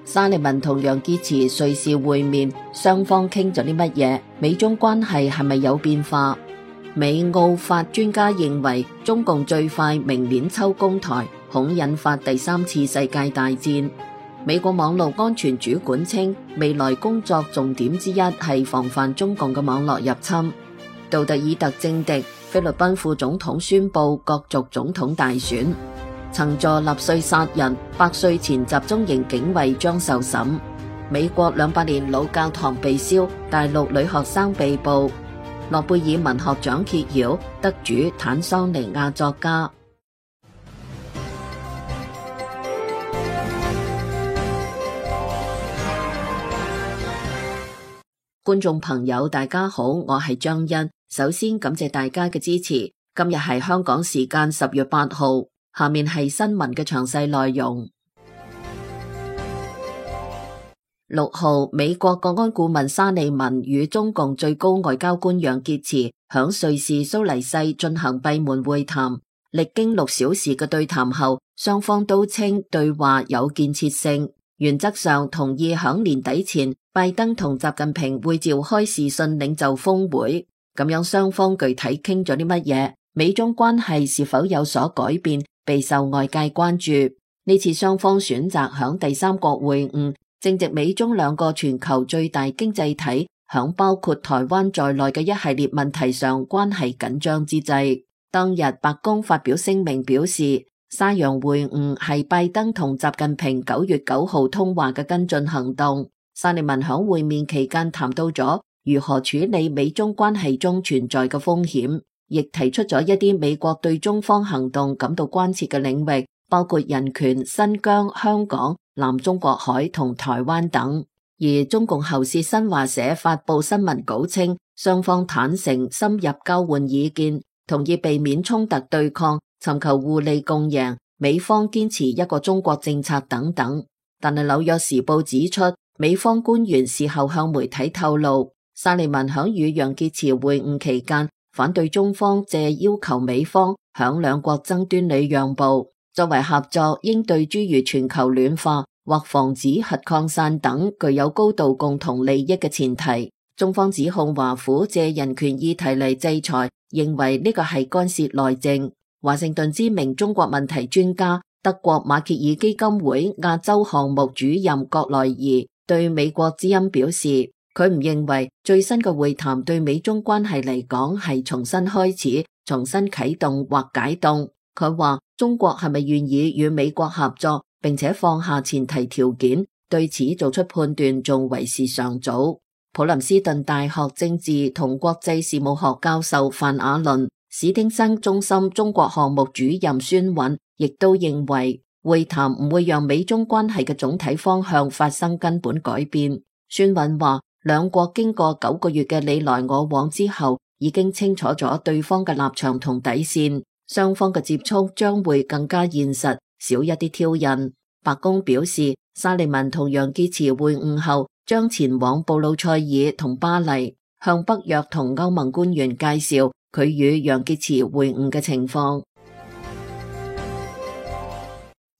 沙利文同楊潔篪瑞士會面，雙方傾咗啲乜嘢？美中關係係咪有變化？美澳法專家認為，中共最快明年秋攻台，恐引發第三次世界大戰。美國網絡安全主管稱，未來工作重點之一係防範中共嘅網絡入侵。杜特爾特政敵，菲律賓副總統宣布角逐總統大選。曾助納粹殺人，100歲前集中營警衛將受審。美國200年老教堂被燒，大陸女學生被捕。諾貝爾文學獎揭曉，得主坦桑尼亞作家。觀眾朋友大家好，我係張欣，首先感謝大家嘅支持。今日係香港時間10月8號。下面係新聞嘅詳細內容。6號，美國國安顧問沙利文與中共最高外交官楊潔篪響瑞士蘇黎世進行閉門會談，歷經6小時嘅對談後，雙方都稱對話有建設性，原則上同意響年底前拜登同習近平會召開視訊領袖峰會。咁樣雙方具體傾咗啲乜嘢？美中關係是否有所改變？備受外界關注。呢次雙方選擇響第三國會晤，正值美中兩個全球最大經濟體響包括台灣在內嘅一系列問題上關係緊張之際，當日白宮發表聲明表示，沙楊會晤係拜登同習近平9月9號通話嘅跟進行動。沙利文響會面期間談到咗如何處理美中關係中存在嘅風險，亦提出咗一啲美國對中方行動感到關切嘅領域，包括人權、新疆、香港、南中國海同台灣等。而中共喉舌新華社發布新聞稿稱，雙方坦誠深入交換意見，同意避免衝突對抗，尋求互利共贏，美方堅持一個中國政策等等。但係紐約時報指出，美方官員事後向媒體透露，沙利文響與楊潔篪會晤期間，反對中方借要求美方響兩國爭端裏讓步，作為合作應對諸如全球暖化或防止核擴散等具有高度共同利益嘅前提。中方指控華府借人權議題嚟制裁，認為呢個係干涉內政。華盛頓知名中國問題專家、德國馬歇爾基金會亞洲項目主任葛萊儀對美國之音表示，佢唔認為最新嘅會談對美中關係嚟講係重新開始、重新啟動或解凍。佢話中國係咪願意與美國合作，並且放下前提條件，對此做出判斷仲為時尚早。普林斯頓大學政治同國際事務學教授范雅倫、史汀生中心中國項目主任孫韻亦都認為會談唔會讓美中關係嘅總體方向發生根本改變。孫韻話，兩國經過9個月嘅你來我往之後，已經清楚咗對方嘅立場同底線，雙方嘅接觸將會更加現實，少一啲挑釁。白宮表示，沙利文同楊潔篪會晤後，將前往布魯塞爾同巴黎，向北約同歐盟官員介紹佢與楊潔篪會晤嘅情況。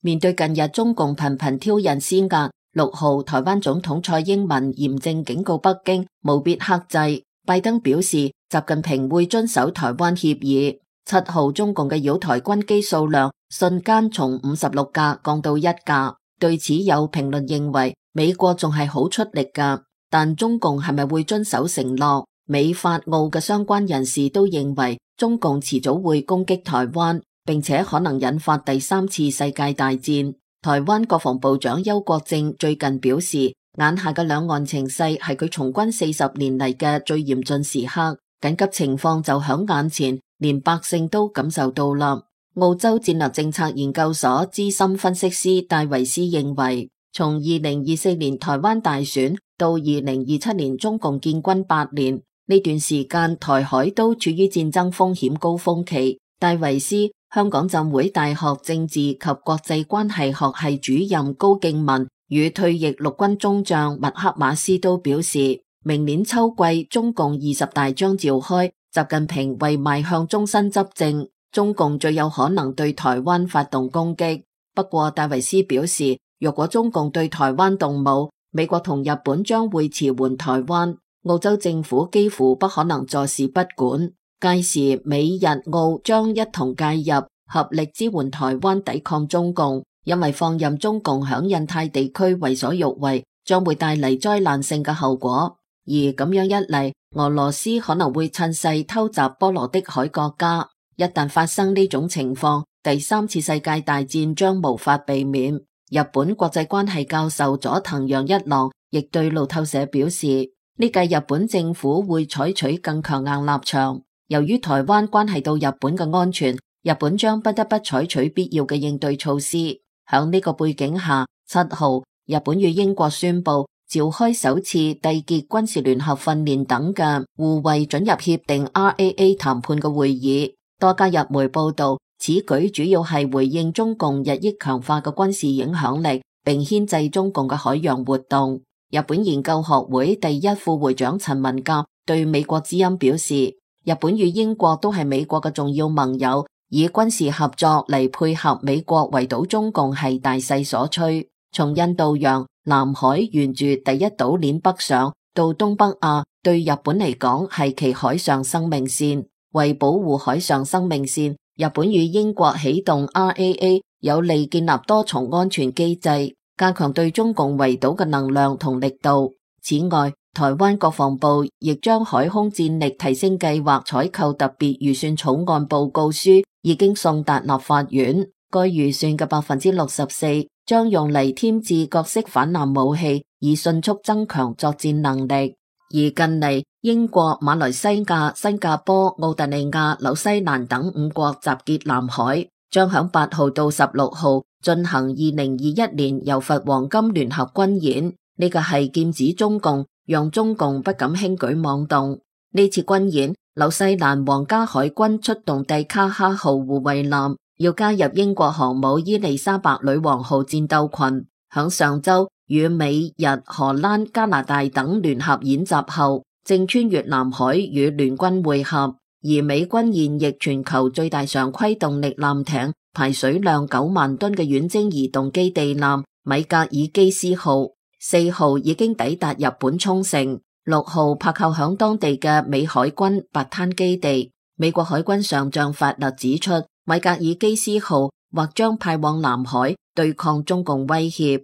面對近日中共頻頻挑釁施壓，6號台灣總統蔡英文嚴正警告北京務必克制。拜登表示，習近平會遵守台灣協議。7號中共嘅擾台軍機數量瞬間從56架降到1架。對此有評論認為，美國仲係好出力㗎，但中共係咪會遵守承諾？美法澳嘅相關人士都認為，中共遲早會攻擊台灣，並且可能引發第3次世界大戰。台灣國防部長邱國正最近表示，眼下嘅兩岸情勢係佢從軍40年嚟嘅最嚴峻時刻，緊急情況就響眼前，連百姓都感受到啦。澳洲戰略政策研究所資深分析師戴維斯認為，從2024年台灣大選到2027年中共建軍8年，呢段時間台海都處於戰爭風險高峰期。戴維斯、香港浸會大學政治及國際關係學系主任高敬文與退役陸軍中將麥克馬斯都表示，明年秋季中共20大將召開，習近平為邁向終身執政，中共最有可能對台灣發動攻擊。不過戴維斯表示，若果中共對台灣動武，美國同日本將會馳援台灣，澳洲政府幾乎不可能坐視不管。屆時美日澳將一同介入，合力支援台灣抵抗中共，因為放任中共響印太地區為所欲為，將會帶嚟災難性嘅後果。而咁樣一嚟，俄羅斯可能會趁勢偷襲波羅的海國家。一旦發生呢種情況，第三次世界大戰將無法避免。日本國際關係教授佐藤陽一郎亦對路透社表示，呢屆日本政府會採取更強硬立場。由於台灣關係到日本嘅安全，日本將不得不採取必要嘅應對措施。響呢個背景下，7號，日本與英國宣布召開首次締結軍事聯合訓練等嘅互惠准入協定 RAA 談判嘅會議。多家日媒報道，此舉主要係回應中共日益強化嘅軍事影響力，並牽制中共嘅海洋活動。日本研究學會第一副會長陳文甲對美國之音表示，日本與英國都係美國嘅重要盟友，以軍事合作嚟配合美國圍堵中共係大勢所趨。從印度洋、南海沿住第一島鏈北上到東北亞，對日本嚟講係其海上生命線。為保護海上生命線，日本與英國啟動 RAA， 有利建立多重安全機制，加強對中共圍堵嘅能量同力度。此外，台灣國防部亦將海空戰力提升計劃採購特別預算草案報告書已經送達立法院。該預算嘅64%將用嚟添置各式反艦武器，以迅速增強作戰能力。而近嚟，英國、馬來西亞、新加坡、澳大利亞、紐西蘭等5國集結南海，將響8號到16號進行2021年柔佛黃金聯合軍演。呢個係劍指中共，讓中共不敢輕舉妄動。呢次軍演，紐西蘭皇家海軍出動蒂卡哈號護衛艦，要加入英國航母伊麗莎白女王號戰鬥群。響上周與美、日、荷蘭、加拿大等聯合演習後，正穿越南海與聯軍會合。而美軍現役全球最大常規動力艦艇，排水量9萬噸嘅遠征移動基地艦米格爾基斯號，4號已經抵達日本沖繩，6號泊靠響當地嘅美海軍白灘基地。美國海軍上將法勒指出，米格爾基斯號或將派往南海對抗中共威脅。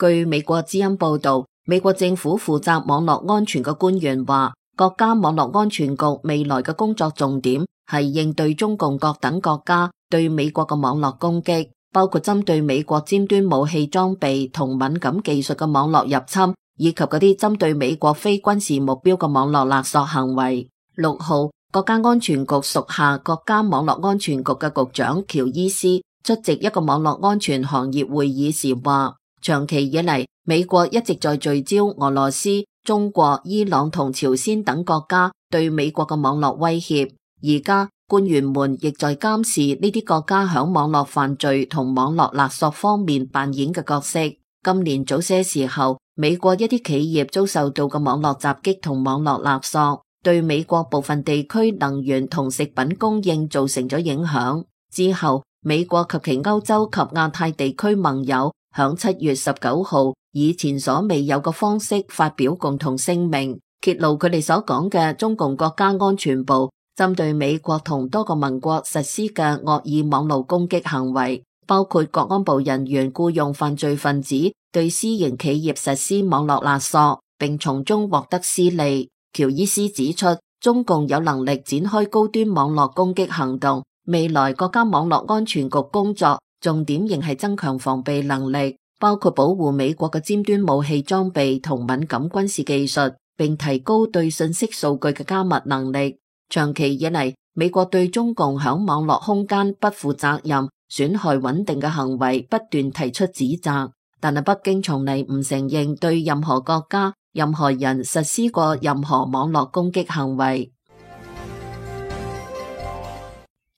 據美國之音報道，美國政府負責網絡安全嘅官員話，國家網絡安全局未來嘅工作重點係應對中共各等國家對美國嘅網絡攻擊，包括針對美國尖端武器裝備同敏感技術嘅網絡入侵，以及嗰啲針對美國非軍事目標嘅網絡勒索行為。6號，國家安全局屬下國家網絡安全局嘅局長喬伊斯出席一個網絡安全行業會議時話，長期以嚟，美國一直在聚焦俄羅斯、中國、伊朗同朝鮮等國家對美國嘅網絡威脅。而家官員們亦在監視呢啲國家響網絡犯罪同網絡勒索方面扮演嘅角色。今年早些時候，美國一啲企業遭受到嘅網絡襲擊同網絡勒索，對美國部分地區能源同食品供應造成咗影響。之後，美國及其歐洲及亞太地區盟友響7月19號以前所未有嘅方式發表共同聲明，揭露佢哋所講嘅中共國家安全部針對美國同多個盟國實施嘅惡意網絡攻擊行為，包括國安部人員僱用犯罪分子對私營企業實施網絡勒索，並從中獲得私利。喬伊斯指出，中共有能力展開高端網絡攻擊行動，未來國家網絡安全局工作重點仍係增強防備能力，包括保護美國嘅尖端武器裝備同敏感軍事技術，並提高對信息數據嘅加密能力。長期以嚟，美國對中共響網絡空間不負責任、損害穩定嘅行為不斷提出指責，但係北京從嚟唔承認對任何國家、任何人實施過任何網絡攻擊行為。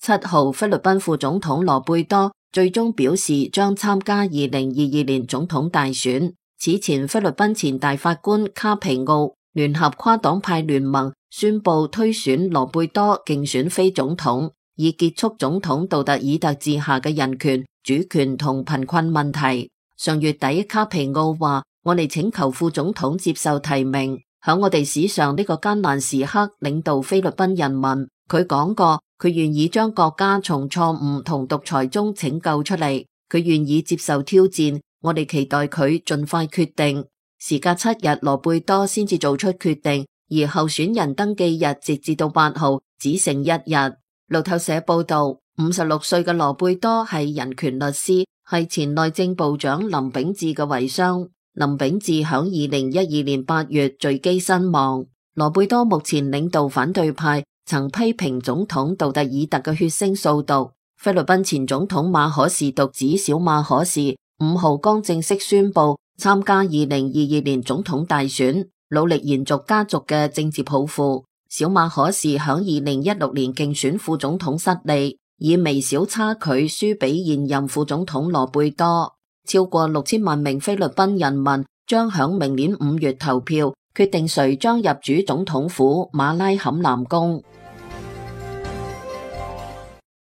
7號，菲律賓副總統羅貝多最終表示將參加2022年總統大選。此前，菲律賓前大法官卡皮奧聯合跨黨派聯盟宣布推選羅貝多競選非總統，以結束總統杜特爾特治下嘅人權、主權同貧困問題。上月底，卡皮奧話：我哋請求副總統接受提名，響我哋史上呢個艱難時刻領導菲律賓人民。佢講過，佢願意將國家從錯誤同獨裁中拯救出嚟，佢願意接受挑戰。我哋期待佢盡快決定。時隔7日，羅貝多先至做出決定，而候選人登記日直至到8號，只剩1日。路透社報道，56歲嘅羅貝多係人權律師，係前內政部長林炳智嘅遺孀。林炳智響2012年8月墜機身亡。羅貝多目前領導反對派，曾批評總統杜特爾特嘅血腥掃毒。菲律賓前總統馬可士獨子小馬可士5號剛正式宣布參加2022年總統大選，努力延續家族嘅政治抱負。小馬可士響2016年競選副總統失利，以微小差距輸俾現任副總統羅貝多。超過6000萬名菲律賓人民將響明年5月投票，決定誰將入主總統府馬拉坎南宮。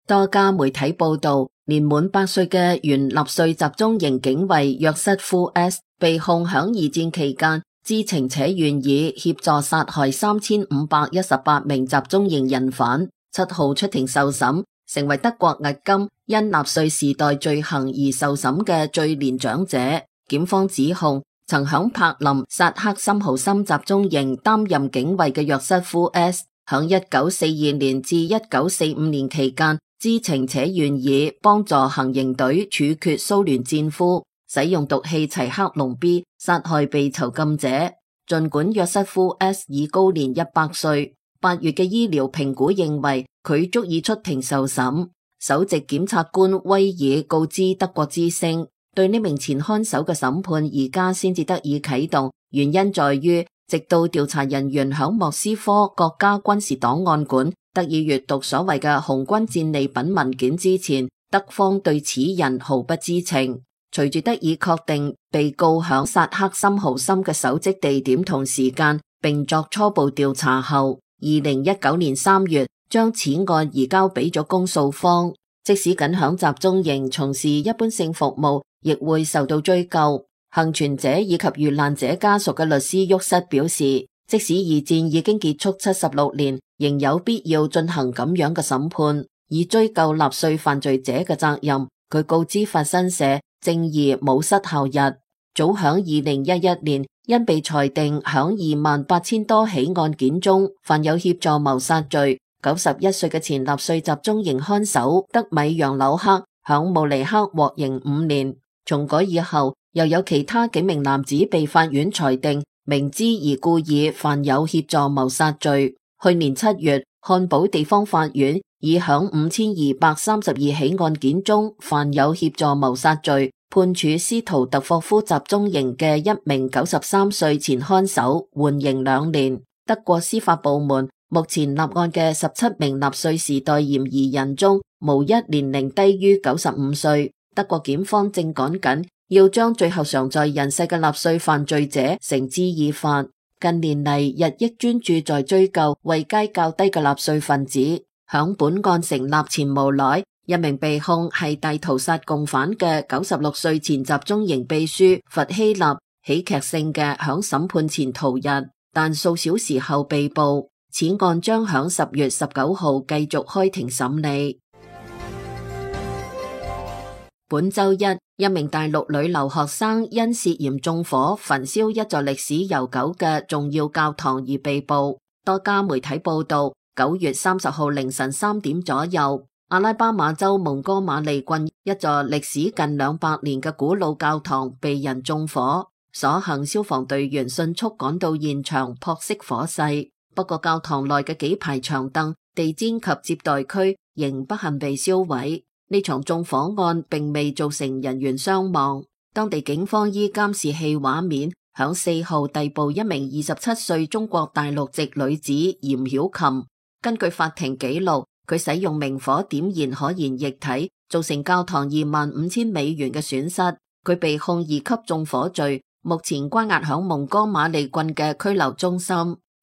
多家媒體報道，年滿8歲嘅原納粹集中營警衛約瑟夫 S 被控響二戰期間知情且願意協助殺害3518名集中營人犯。7號出庭受審，成為德國迄今因納粹時代罪行而受審嘅最年長者。檢方指控曾響柏林薩克森豪森集中營擔任警衛嘅約瑟夫 S 響1942年至1945年期間知情且願意幫助行刑隊處決蘇聯戰俘，使用毒氣齊克隆 B 殺害被囚禁者。盡管約瑟夫 S 已高年100歲，8月嘅醫療評估認為佢足以出庭受審。首席檢察官威爾告知德國之聲，對呢名前看守嘅審判而家先至得以啟動，原因在於直到調查人員響莫斯科國家軍事檔案館得以閱讀所謂嘅紅軍戰利品文件之前，德方對此人毫不知情。隨住得以確定被告響薩克森豪森嘅搜跡地點同時間，並作初步調查後，2019年3月將此案移交俾咗公訴方。即使僅響集中營從事一般性服務，亦會受到追究。幸存者以及遇難者家屬嘅律師沃瑟表示，即使二戰已經結束76年，仍有必要進行咁樣嘅審判，以追究納粹犯罪者嘅責任。佢告知法新社，正義冇失效日。早響2011年，因被裁定響28000多起案件中犯有協助謀殺罪，91歲嘅前納粹集中營看守德米揚紐克響慕尼黑獲刑5年。重改以後，又有其他幾名男子被法院裁定明知而故意犯有協助謀殺罪。去年7月，漢堡地方法院以響5232起案件中犯有協助謀殺罪，判處斯圖特霍夫集中營嘅一名93歲前看守緩刑2年。德國司法部門目前立案嘅17名納粹時代嫌疑人中，無一年齡低於95歲。德國檢方正趕緊要將最後尚在人世嘅納粹犯罪者繩之以法。近年嚟日益專注在追究位階較低嘅納粹分子。響本案成立前無耐，一名被控係大屠殺共犯嘅96歲前集中營秘書弗希納，喜劇性嘅響審判前逃逸，但數小時後被捕。此案將響10月19號繼續開庭審理。本周一名大陸女留學生因涉嫌縱火焚燒一座歷史悠久嘅重要教堂而被捕。多家媒體報道，9月30號凌晨3點左右，阿拉巴馬州蒙哥馬利郡一座歷史近200年嘅古老教堂被人縱火，所幸消防隊員迅速趕到現場撲熄火勢。不過教堂內嘅幾排長凳、地氈及接待區仍不幸被燒毀。呢場縱火案並未造成人員傷亡。當地警方依監視器畫面，響4號逮捕一名27歲中國大陸籍女子嚴曉琴。根據法庭記錄，佢使用明火點燃可燃液體，造成教堂25000美元嘅損失。佢被控2級縱火罪，目前關押響蒙哥馬利郡嘅拘留中心。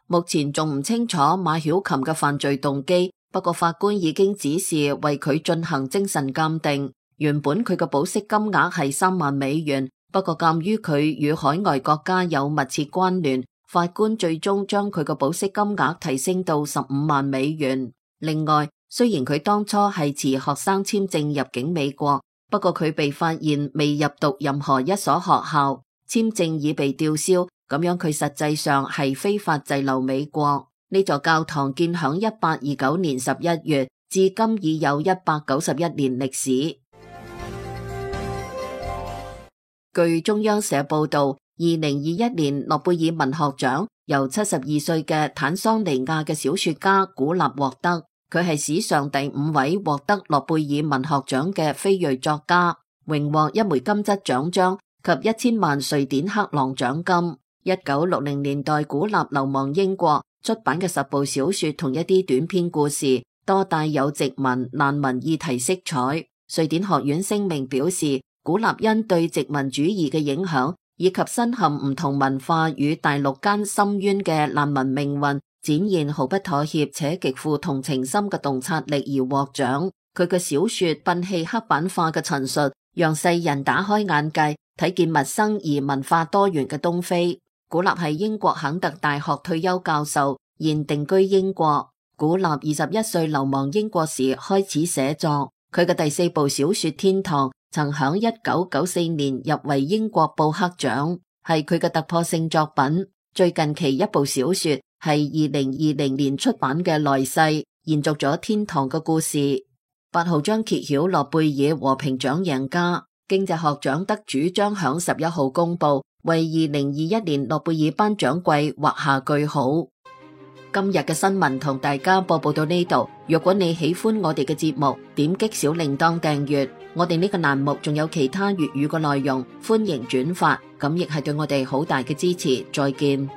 目前仲唔清楚馬曉琴嘅犯罪動機，不過法官已經指示為佢進行精神鑑定。原本佢嘅保釋金額係3萬美元，不過鑒於佢與海外國家有密切關聯，法官最終將佢嘅保釋金額提升到15萬美元。另外，雖然佢當初係持學生簽證入境美國，不過佢被發現未入讀任何一所學校，簽證已被吊銷，咁樣佢實際上係非法滯留美國。呢座教堂建響1829年11月，至今已有191年歷史。據中央社報道，2021年諾貝爾文學獎由72歲嘅坦桑尼亞嘅小說家古納獲得，佢係史上第5位獲得諾貝爾文學獎嘅非裔作家，榮獲1枚金質獎章及1000萬瑞典克朗獎金。1960年代古納流亡英國，出版嘅10部小說同一啲短篇故事，多帶有殖民難民議題色彩。瑞典學院聲明表示，古納因對殖民主義嘅影響，以及身陷唔同文化與大陸間深淵嘅難民命運，展現毫不妥協且極富同情心嘅洞察力而獲獎。佢嘅小說摒棄刻板化嘅陳述，讓世人打開眼界，睇見陌生而文化多元嘅東非。古納係英國肯特大學退休教授，現定居英國。古納21歲流亡英國時開始寫作，佢嘅第4部小說《天堂》曾響1994年入圍英國布克獎，係佢嘅突破性作品。最近期一部小說係2020年出版嘅《來世》，延續咗《天堂》嘅故事。8號將揭曉諾貝爾和平獎贏家，經濟學獎得主將響11號公布，為2021年諾貝爾頒獎季畫下句號。今日嘅新聞同大家播報到呢度。如果你喜歡我哋嘅節目，點擊小鈴鐺訂閱。我哋呢個欄目仲有其他粵語嘅內容，歡迎轉發，咁亦係對我哋好大嘅支持。再見。